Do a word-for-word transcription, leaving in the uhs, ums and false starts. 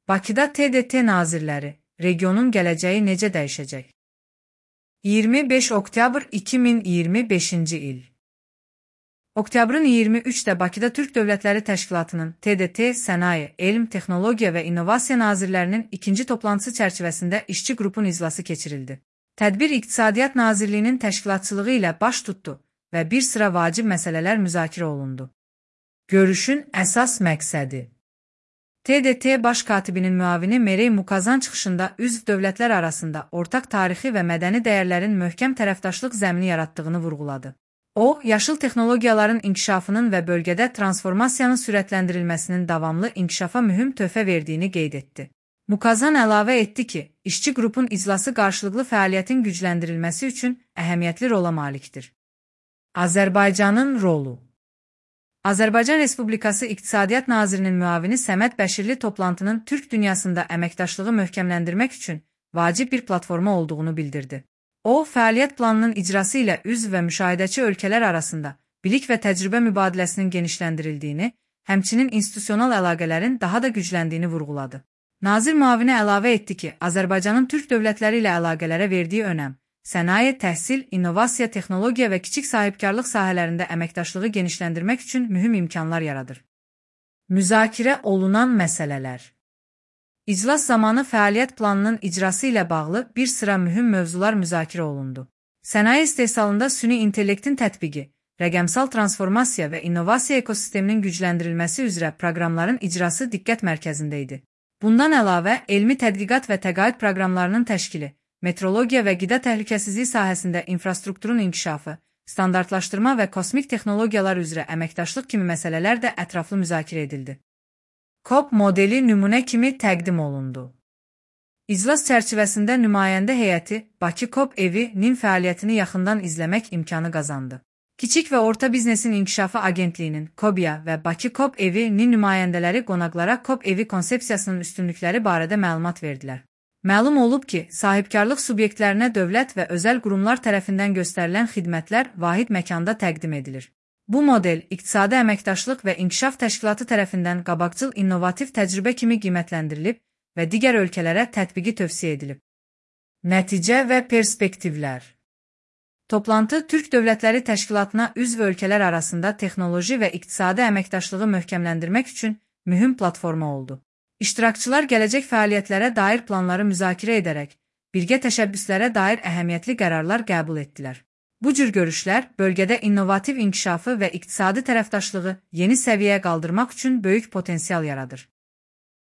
Bakıda T D T nazirləri, regionun gələcəyi necə dəyişəcək? iyirmi beş oktyabr iki min iyirmi beşinci il. Oktyabrın iyirmi üçdə Bakıda Türk Dövlətləri Təşkilatının T D T, Sənaye, Elm, Texnologiya və İnnovasiya nazirlərinin ikinci toplantısı çərçivəsində işçi qrupun iclası keçirildi. Tədbir İqtisadiyyat Nazirliyinin təşkilatçılığı ilə baş tutdu və bir sıra vacib məsələlər müzakirə olundu. Görüşün əsas məqsədi T D T Baş Katibinin müavini Merey Mukazan çıxışında üzv dövlətlər arasında ortaq tarixi və mədəni dəyərlərin möhkəm tərəfdaşlıq zəmini yaratdığını vurğuladı. O, yaşıl texnologiyaların inkişafının və bölgədə transformasiyanın sürətləndirilməsinin davamlı inkişafa mühüm töhfə verdiyini qeyd etdi. Mukazan əlavə etdi ki, işçi qrupun iclası qarşılıqlı fəaliyyətin gücləndirilməsi üçün əhəmiyyətli rola malikdir. Azərbaycanın rolu Azərbaycan Respublikası İqtisadiyyat Nazirinin müavini Səməd Bəşirli toplantının Türk dünyasında əməkdaşlığı möhkəmləndirmək üçün vacib bir platforma olduğunu bildirdi. O, fəaliyyət planının icrası ilə üzv və müşahidəçi ölkələr arasında bilik və təcrübə mübadiləsinin genişləndirildiyini, həmçinin institusional əlaqələrin daha da gücləndiyini vurğuladı. Nazir müavini əlavə etdi ki, Azərbaycanın Türk dövlətləri ilə əlaqələrə verdiyi önəm, sənaye, təhsil, innovasiya, texnologiya və kiçik sahibkarlıq sahələrində əməkdaşlığı genişləndirmək üçün mühüm imkanlar yaradır. Müzakirə olunan məsələlər İclas zamanı fəaliyyət planının icrası ilə bağlı bir sıra mühüm mövzular müzakirə olundu. Sənaye istehsalında süni intellektin tətbiqi, rəqəmsal transformasiya və innovasiya ekosisteminin gücləndirilməsi üzrə proqramların icrası diqqət mərkəzində idi. Bundan əlavə, elmi tədqiqat və təqaüd proqramlarının təşkili, metrologiya və qida təhlükəsizliyi sahəsində infrastrukturun inkişafı, standartlaşdırma və kosmik texnologiyalar üzrə əməkdaşlıq kimi məsələlər də ətraflı müzakirə edildi. C O P modeli nümunə kimi təqdim olundu. İclas çərçivəsində nümayəndə heyəti Bakı C O P evi-nin fəaliyyətini yaxından izləmək imkanı qazandı. Kiçik və Orta Biznesin İnkişafı Agentliyinin KOBİA və Bakı C O P evi-nin nümayəndələri qonaqlara C O P evi konsepsiyasının üstünlükləri barədə məlumat verdilər. Məlum olub ki, sahibkarlıq subyektlərinə dövlət və özəl qurumlar tərəfindən göstərilən xidmətlər vahid məkanda təqdim edilir. Bu model İqtisadi Əməkdaşlıq və İnkişaf Təşkilatı tərəfindən qabaqcıl innovativ təcrübə kimi qiymətləndirilib və digər ölkələrə tətbiqi tövsiyə edilib. Nəticə və perspektivlər Toplantı Türk Dövlətləri Təşkilatına üzv ölkələr arasında texnoloji və iqtisadi əməkdaşlığı möhkəmləndirmək üçün mühüm platforma oldu. İştirakçılar gələcək fəaliyyətlərə dair planları müzakirə edərək, birgə təşəbbüslərə dair əhəmiyyətli qərarlar qəbul etdilər. Bu cür görüşlər bölgədə innovativ inkişafı və iqtisadi tərəfdaşlığı yeni səviyyəyə qaldırmaq üçün böyük potensial yaradır.